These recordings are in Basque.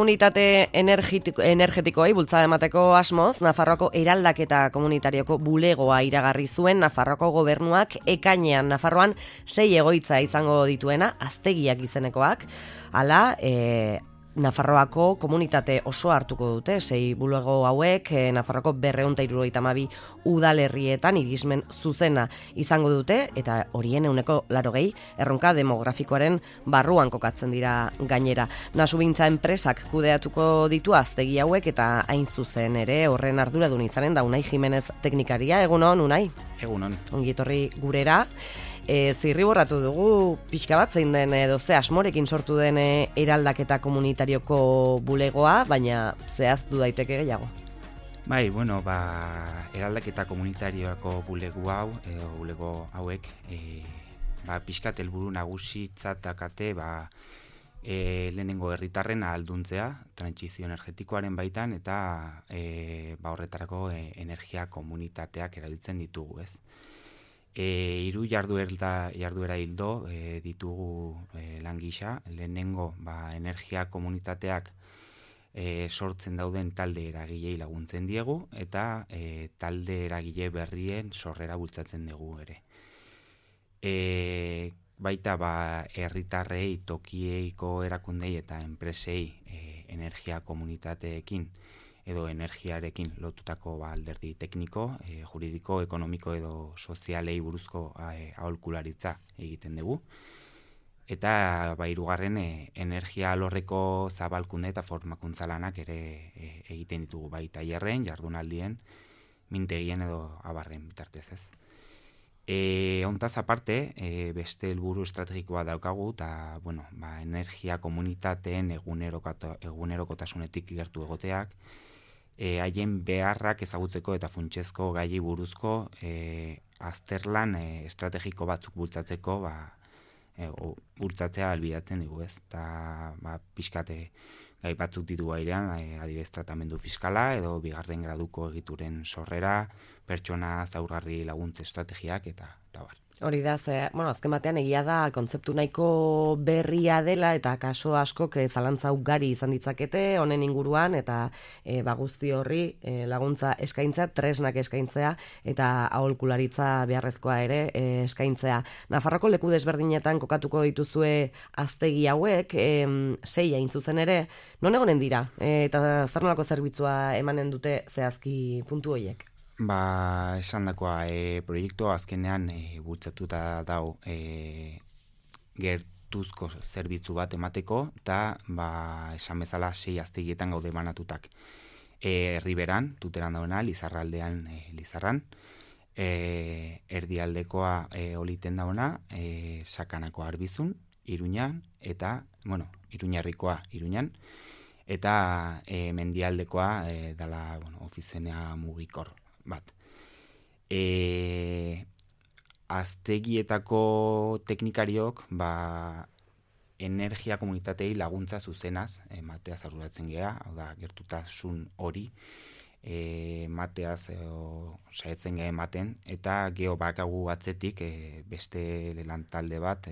komunitate energetikoei bultzada emateko asmoz, Nafarroako eraldaketa komunitarioko bulegoa iragarri zuen Nafarroako gobernuak ekainean. Nafarroan 6 egoitza izango dituena, aztegiak izenekoak, hala, Nafarroako komunitate oso hartuko dute, 6 bulego hauek, Nafarroako 272 udalerrietan irismen zuzena izango dute, eta horien 80% erronka demografikoaren barruan kokatzen dira gainera. Nasubintza enpresak kudeatuko ditu aztegi hauek, eta hain zuzen ere horren arduradun izanen da Unai Jimenez teknikaria. Egunon, Unai? Egunon. Ongi etorri gurera. Zirriborratu dugu pixka bat zein den edo ze asmorekin sortu den eraldaketa komunitarioko bulegoa, baina zehaztu daiteke gehiago. Bai, bueno, eraldaketa komunitarioako bulego hauek, pixkat helburu nagusitzat dakate, lehenengo herritarren ahalduntzea, trantsizio energetikoaren baitan, eta horretarako energia komunitateak erabiltzen ditugu, ez? 3 jarduera hildo ditugu lan gisa. Lehenengo energia komunitateak sortzen dauden talde eragilei laguntzen diegu, eta talde eragile berrien sorrera bultzatzen dugu ere. Baita herritarrei, tokieiko erakundei eta enpresei energia komunitateekin edo energiarekin lotutako alderdi tekniko, juridiko, ekonomiko edo sozialei buruzko aholkularitza egiten dugu. Eta hirugarren energia alorreko zabalkunde eta formakuntza lanak ere egiten ditugu, bai tailerren, jardunaldien, mintegien edo abarren bitartez, ez. Hontaz aparte, beste helburu estrategikoa daukagu, eta energia komunitateen egunerokotasunetik gertu egoteak, haien beharrak ezagutzeko eta funtsezko gaiei buruzko azterlan estrategiko batzuk bultzatzeko bultzatzea albidatzen dugu, ez? Eta pixkate gai batzuk ditu airean, adibidez tratamendu fiskala edo 2. graduko egituren sorrera, pertsona zaurgarri laguntze estrategiak eta bar. Hori da, azken batean egia da kontzeptu nahiko berria dela, eta kaso askok zalantza ugari izan ditzakete honen inguruan, eta guzti horri laguntza eskaintzea, tresnak eskaintzea, eta aholkularitza beharrezkoa ere eskaintzea. Nafarroko leku desberdinetan kokatuko dituzue aztegi hauek, 6 hain zuzen ere, non egonen dira, eta zer nolako zerbitzua emanen dute zehazki puntu horiek? Esan dakoa, proiektua azkenean bultzatuta dau gertuzko zerbitzu bat emateko, eta esan bezala 6 aztegietan gaude banatutak. Herriberan, Tuteran dauna, Lizarraldean, Lizarran, erdialdekoa Oliten dauna, Sakanako Arbizun, Iruñan, eta, Iruñarrikoa Iruñan, eta mendialdekoa dala Ofizenea Mugikor bat. Aztegietako teknikariok energia komunitatei laguntza zuzenaz mateaz arduratzen gea, hau da, gertutasun hori mateaz saietzen gea ematen, eta geho bakagu atzetik beste lan talde bat,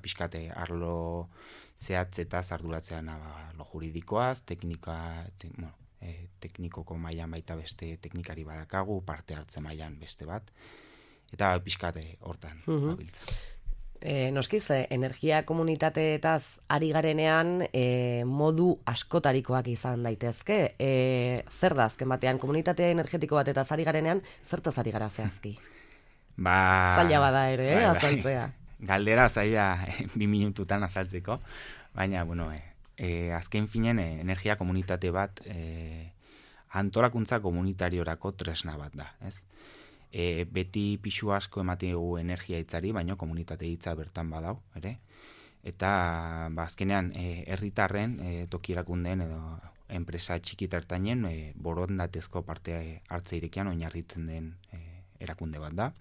pixkate arlo zehatzetaz arduratzean lo juridikoaz, teknikoko mailan baita beste teknikari badakagu, parte hartze mailan beste bat, eta pixkate hortan babiltza. Noskiz, energia komunitateetaz ari garenean modu askotarikoak izan daitezke. Zer da azken batean, komunitate energetiko batetaz ari garenean, zertaz ari gara zehazki? Zaila bada ere, azaltzea. Galdera zaila 2 minututan azaltzeko, baina, azken finen energia komunitate bat antolakuntza komunitariorako tresna bat da, ez? Beti pixu asko ematen dugu energia hitzari, baina komunitate hitza bertan badau, ere? Eta azkenean herritarren toki erakundeen edo enpresa txiki-ertainen borondatezko parte hartze irekian oinarritzen den erakunde bat da.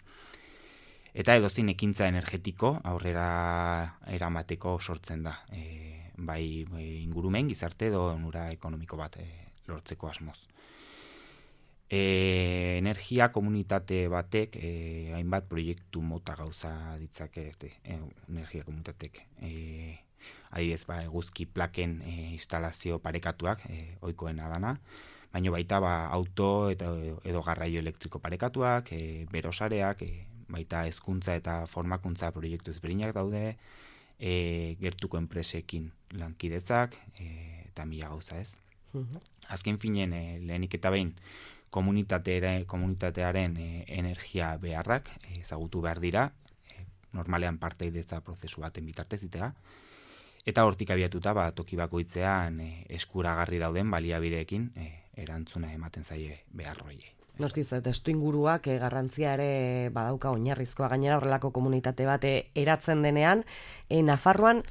Eta edozein ekintza energetiko aurrera eramateko sortzen da. Bai ingurumen, gizarte edo onura ekonomiko bat lortzeko asmoz. Energia komunitate batek hainbat proiektu mota gauza ditzake energia komunitatek. adibidez, eguzki plaken instalazio parekatuak, ohikoena dana, baina baita auto edo garraio elektriko parekatuak, berosareak, baita hezkuntza eta formakuntza proiektu ezberdinak daude, gertuko enpresekin lankidetzak, eta mila gauza ez. Azken finen, lehenik eta behin, komunitatearen energia beharrak ezagutu behar dira, normalean partaidetza prozesu baten bitartez itea, eta hortik abiatuta toki bakoitzean eskuragarri dauden baliabideekin erantzuna ematen zaie beharroie. Noskiz, testu inguruak garrantzia ere badauka oinarrizkoa, gainera horrelako komunitate bat eratzen denean, Nafarroan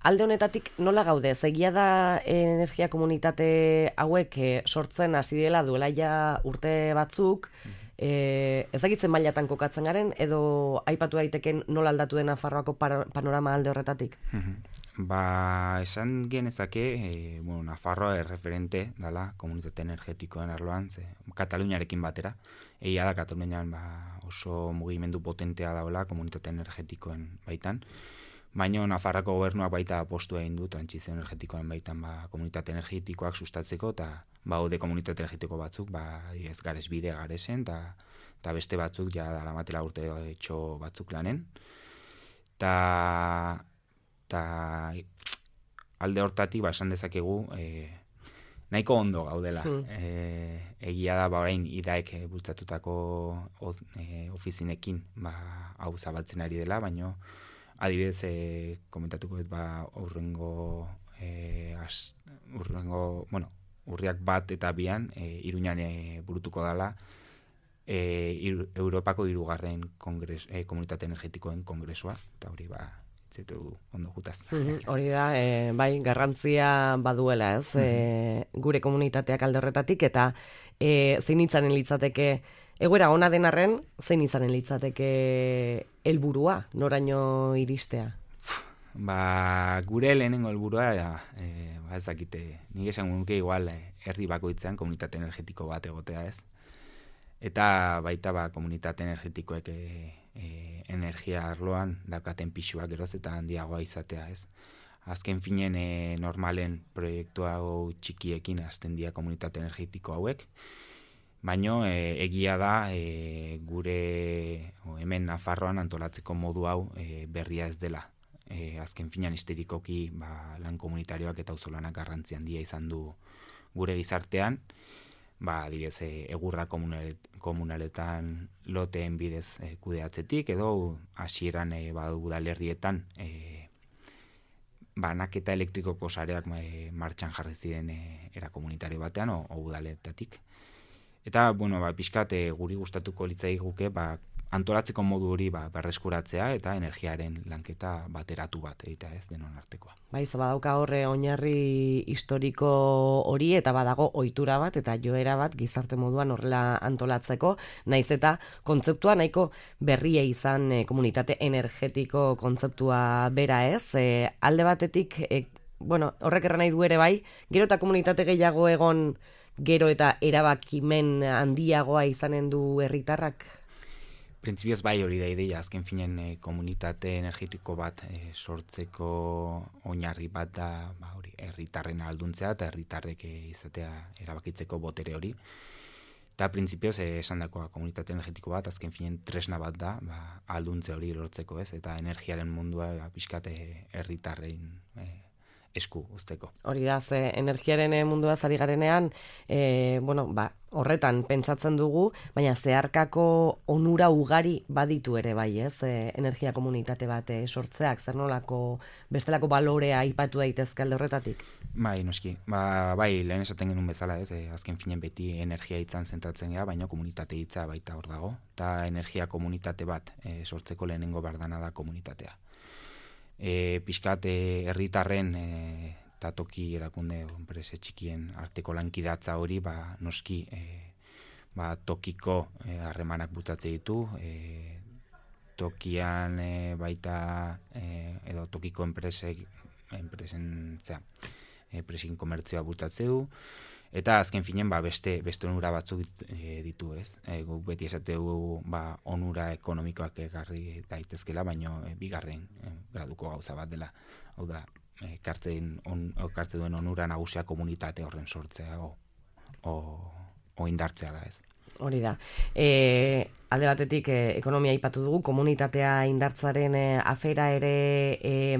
alde honetatik nola gaude? Egia da energia komunitate hauek sortzen hasi dela duela ja urte batzuk, ezagitzen mailatan kokatzen garen, edo aipatu daiteken nola aldatu den Nafarroako panorama alde horretatik? Esan genezake, Nafarroa erreferente dela komunitate energetikoen arloan, Kataluniarekin batera. Egia da Katalunian oso mugimendu potentea daula komunitate energetikoen baitan. Baina Nafarroako gobernuak baita apostu egin du trantsizio energetikoen baitan komunitate energetikoak sustatzeko, eta baude komunitate energetiko batzuk, ez Garesbide, Garesen, eta beste batzuk ja daramatela urte etxo batzuk lanen. Eta alde hortatik esan dezakegu nahiko ondo gaudela. Egia da orain idaek bultzatutako ofizinekin hau zabaltzen ari dela, baina adibidez komentatuko dut urriak 1 eta 2 Iruñan burutuko dela Europako 3. Komunitate energetikoen kongresua, eta hori ondo jutaz. Hori da, bai, garrantzia baduela, ez? Gure komunitateak alde horretatik, eta zein itzanen litzateke, egoera ona denarren, zein izanen litzateke helburua, noraino iristea? Gure lehenengo helburua, ez dakite, nik esan nuke igual herri bakoitzean komunitate energetiko bat egotea, ez? Eta baita komunitate energetikoek energia arloan daukaten pixuak geroz eta handiagoa izatea, ez? Azken finen normalen proiektu hau txikiekin hasten dira komunitate energetiko hauek, baino egia da gure hemen Nafarroan antolatzeko modu hau berria ez dela. Azken finean histerikoki lan komunitarioak eta auzolanak garrantzi handia izan du gure gizartean, adibidez egurra komunaletan loteen bidez kudeatzetik, edo hasieran udalerrietan banaketa elektrikoko sareak martxan jarri ziren era komunitario batean o udaletatik. Eta pixkat guri gustatuko litzaiguke antolatzeko modu hori berreskuratzea eta energiaren lanketa bateratu bat egitea, ez denon artekoa. Badauka horre oinarri historiko hori eta badago ohitura bat eta joera bat gizarte moduan horrela antolatzeko, naiz eta kontzeptua nahiko berria izan komunitate energetiko kontzeptua bera, ez? Alde batetik, horrek erran nahi du ere bai, gero eta komunitate gehiago egon, gero eta erabakimen handiagoa izanen du herritarrak? Printzipioz hori da ideia, azken finen komunitate energetiko bat sortzeko oinarri bat da hori herritarren ahalduntzea eta herritarrek izatea erabakitzeko botere hori. Eta printzipioz esandakoa komunitate energetiko bat azken finen tresna bat da ahalduntze hori lortzeko, ez? Eta energiaren mundua pixkate herritarren esku uzteko. Hori da, ze energiaren mundua zari garenean, horretan pentsatzen dugu, baina zeharkako onura ugari baditu ere bai, ez? Energia komunitate bat sortzeak, zer nolako bestelako balorea aipatu daitezke alde horretatik? Noski. Lehen esaten genuen bezala, ez? Azken finen beti energia hitzan zentratzen gara, baina komunitate hitza baita hor dago. Eta energia komunitate bat sortzeko lehenengo bardana da komunitatea. Pixkat herritarren eta toki erakunde enprese txikien arteko lankidatza hori noski tokiko harremanak bultzatze ditu, tokian baita edo tokiko enpresen komertzioa bultzatze du, eta azken finen beste onura batzuk ditu, ez? Guk beti esategu onura ekonomikoak egarri daitezkela, baino bigarren graduko gauza bat dela. Hau da, ekartzen duen onura nagusia komunitate horren sortzea o indartzea da, ez. Hori da. Alde batetik ekonomia aipatu dugu, komunitatea indartzaren afera ere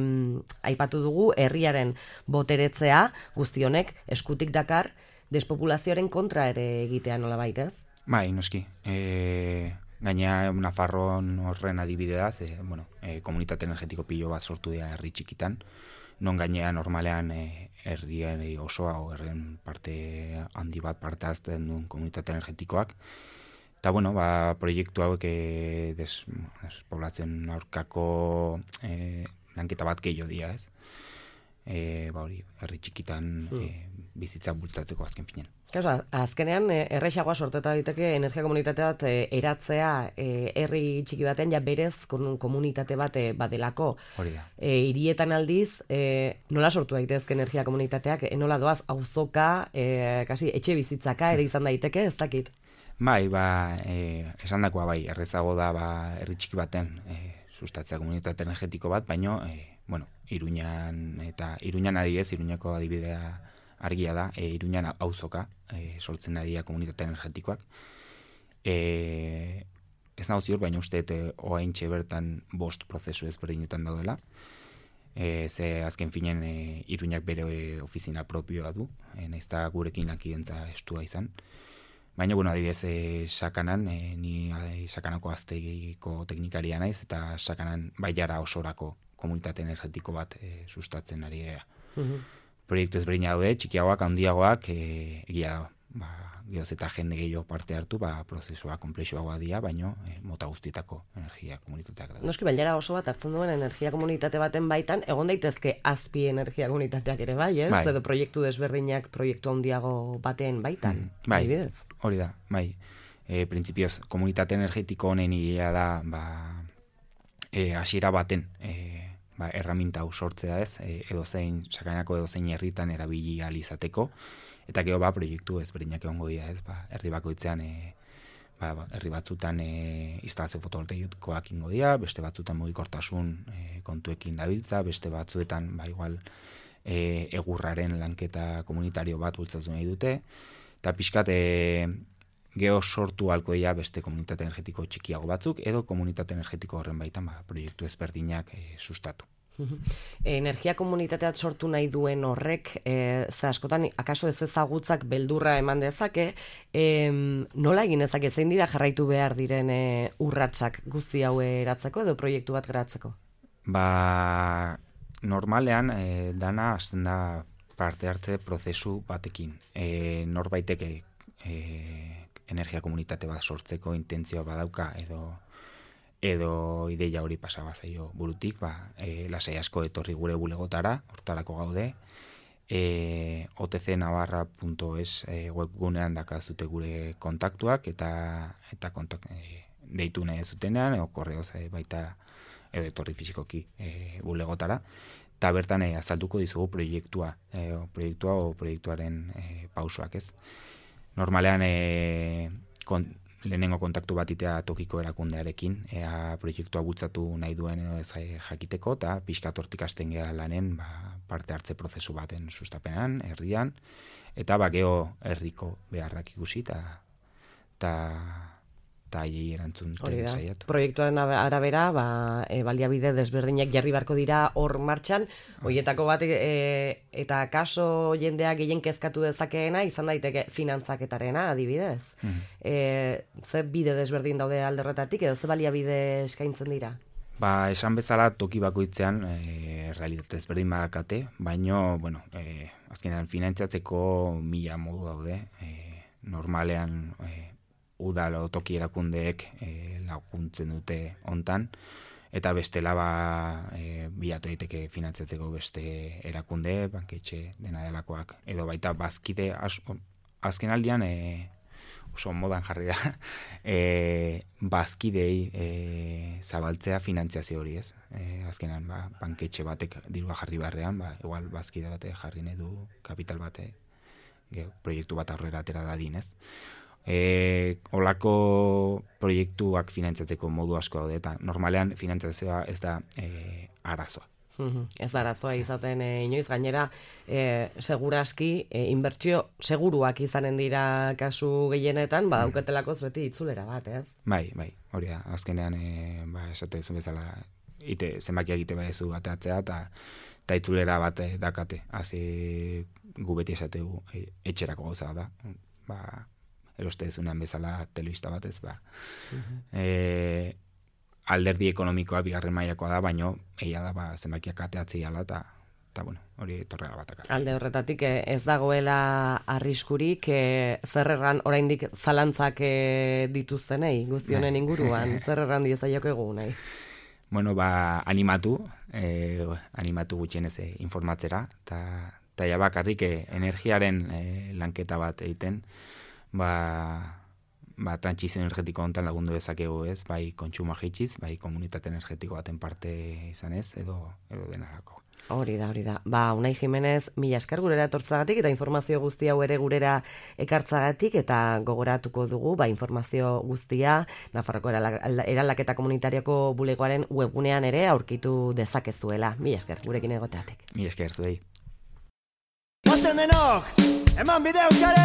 aipatu dugu, herriaren boteretzea guzti honek eskutik dakar despopulazioaren kontra ere egitea nolabait, ez? Bai, noski. Gainea Nafarroan horren adibide da, komunitate energetiko pilo bat sortu dira herri txikitan, non gainea normalean herrien osoa o herrien parte handi bat parte hartzen duen komunitate energetikoak. Eta proiektu hauek despoblatzen aurkako lanketa bat gehiago dira, ez? Herri txikitan bizitza bultzatzeko azken finean. Azkenean, errexagoa sorteta daiteke energia komunitate bat eratzea herri txiki baten ja berez komunitate bat badelako. Hori da. Hirietan aldiz, nola sortu daitezke energia komunitateak, nola doaz auzoka, kasi etxe bizitzaka ere izan daiteke, ez dakit? Bai, esan dakoa bai, errezago da herri txiki baten sustatzea komunitate energetiko bat, baino, Iruñan adibidez, Iruñako adibidea argia da, Iruñan auzoka sortzen adia komunitate energetikoak. Ez nago ziur, baina uste oaintxe bertan 5 prozesu ezberdinetan daudela. Ze azken finen Iruñak bere ofizina propioa du, nahiz eta gurekin lakidentza estua izan. Baina, adibidez, Sakanan, ni Sakanako aztegiko teknikaria naiz, eta Sakanan baiara osorako komunitate energetiko bat sustatzen ari gara. Proiektu ezberdina daude, txikiagoak, handiagoak, egia geoz eta jende gehiago parte hartu, prozesua konplexuagoa dira, baino mota guztietako energia komunitateak da. Noski, bailara oso bat hartzen duen energia komunitate baten baitan, egon daitezke azpi energia komunitateak ere bai, ez? Edo proiektu desberdinak proiektu handiago baten baitan. Bai, hori da, bai. Printzipioz, komunitate energetiko honen idea da, hasiera baten, erraminta hau sortzea ez, Sakainako edozein herritan erabili ahal izateko, eta gero proiektu ezberdinak egongo dira, ez, herri bakoitzean herri batzutan instalazio fotovoltaikoak ingo dira, beste batzutan mugikortasun kontuekin dabiltza, beste batzuetan igual egurraren lanketa komunitario bat bultzatu nahi dute, eta pixkat geho sortu halko dira beste komunitate energetiko txikiago batzuk, edo komunitate energetiko horren baitan proiektu ezberdinak sustatu. Energia komunitateat sortu nahi duen horrek, ze askotan, akaso ez ezagutzak beldurra eman dezake, nola egin dezake, zein dira jarraitu behar diren urratsak guzti hau eratzeko edo proiektu bat geratzeko? Normalean, dana hasten da parte hartze prozesu batekin. Norbaitek energia komunitate bat sortzeko intentzioa badauka edo ideia hori pasaba zaio burutik, lasai asko etorri gure bulegotara, hortarako gaude, otcnavarra.es webgunean dakazute gure kontaktuak eta deitu nahi zutenean, edo korreoz baita edo etorri fisikoki bulegotara, eta bertan azalduko dizugu proiektuaren pausoak, ez. Normalean lehenengo kontaktu bat itea tokiko erakundearekin, proiektua bultzatu nahi duen edo ez jakiteko, eta pixkat hortik hasten geha lanen parte hartze prozesu baten sustapenean, herrian, eta geho herriko beharrak ikusi, eta haiei erantzunten saiatu. Proiektuaren arabera, baliabide desberdinak jarri beharko dira hor martxan, horietako bat eta kaso jendea gehien kezkatu dezakeena izan daiteke finantzaketarena, adibidez. Ze bide desberdin daude alderretatik, edo ze baliabide eskaintzen dira? Esan bezala toki bakoitzean realitate ezberdin badakate, baino, azkenean finantzatzeko 1000 modu daude, normalean udalo toki erakundeek laguntzen dute hontan, eta bestela bilatu daiteke finantzatzeko beste erakunde, banketxe dena delakoak, edo baita bazkide, azken aldian oso modan jarri da, bazkidei zabaltzea finantziazio hori, ez? Azkenan, banketxe batek dirua jarri barrean, igual bazkide bate jarri nahi du kapital bate, proiektu bat aurrera atera dadin, ez? Olako proiektuak finantzatzeko modu asko daude, eta normalean finantziazioa ez da arazoa. Ez da arazoa izaten inoiz, gainera seguraski inbertsio seguruak izanen dira kasu gehienetan, badauketelako beti itzulera bat, ez? Bai, hori da, azkenean esate zuen bezala zenbakia egite badezu ateatzea eta itzulera bat dakate, hazi gu beti esategu etxerako gauza da, eroste dezunean bezala telebista batez, alderdi ekonomikoa bigarren mailakoa da, baino egia da zenbakiak ateatzea dela eta bueno, hori torrela batak. Alde horretatik ez dagoela arriskurik, zer erran oraindik zalantzak dituztenei guztionen inguruan, zer erran diezaiokegu nahi? Bueno, animatu gutxienez informatzera, eta ja bakarrik energiaren lanketa bat egiten, trantsizio energetiko honetan lagundu dezakegu ez, bai kontsumoa jaitziz, bai komunitate energetiko baten parte izanez, edo denarako. Hori da. Unai Jimenez, mila esker gurera etortzagatik eta informazio guztia hau ere gurera ekartzagatik eta gogoratuko dugu, informazio guztia Nafarroko eraldaketa komunitarioko bulegoaren webgunean ere aurkitu dezakezuela. Mila esker gurekin egoteatik. Mila esker zuei. Pasen denok, eman bide Euskal Herria!